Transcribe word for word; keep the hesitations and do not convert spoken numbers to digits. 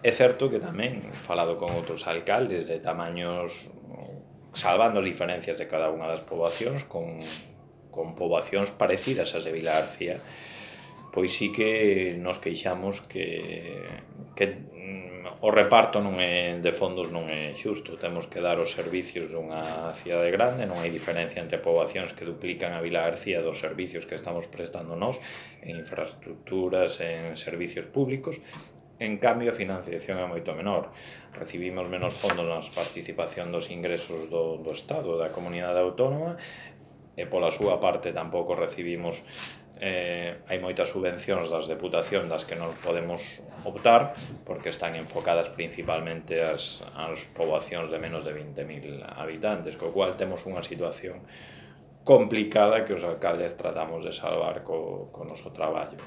É certo que tamén, falado con outros alcaldes de tamaños, salvando as diferencias de cada unha das poboacións, con, con poboacións parecidas ás de Vilagarcía, pois sí que nos queixamos que, que o reparto non é, de fondos non é xusto. Temos que dar os servicios dunha cidade grande, non hai diferencia entre poboacións que duplican a Vilagarcía dos servicios que estamos prestando nós en infraestructuras, en servicios públicos. En cambio, a financiación é moito menor. Recibimos menos fondos na participación dos ingresos do, do Estado, da comunidade autónoma, e pola súa parte tampouco recibimos, eh, hai moitas subvencións das deputacións das que non podemos optar, porque están enfocadas principalmente ás, ás poboacións de menos de vinte mil habitantes, co cual temos unha situación complicada que os alcaldes tratamos de salvar co, co noso traballo.